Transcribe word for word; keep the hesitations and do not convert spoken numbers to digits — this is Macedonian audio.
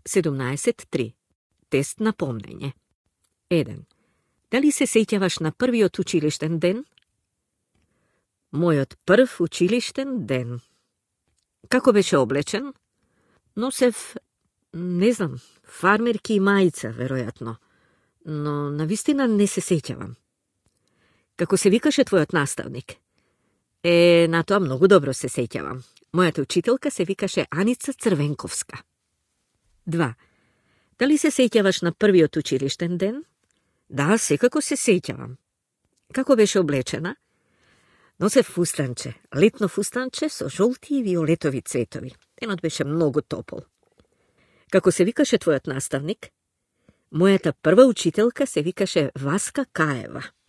седумнаесет три. Тест на помнење. еден. Дали се сеќаваш на првиот училиштен ден? Мојот прв училиштен ден. Како беше облечен? Носев, не знам, фармерки и мајца, веројатно. Но навистина не се сеќавам. Како се викаше твојот наставник? Е, на тоа многу добро се сеќавам. Мојата учителка се викаше Аница Црвенковска. два. Дали се сеќаваш на првиот училиштен ден? Да, секако се сеќавам. Како беше облечена? Носев фустанче, летно фустанче со жолти и виолетови цветови. Денот беше многу топол. Како се викаше твојот наставник? Мојата прва учителка се викаше Васка Каева.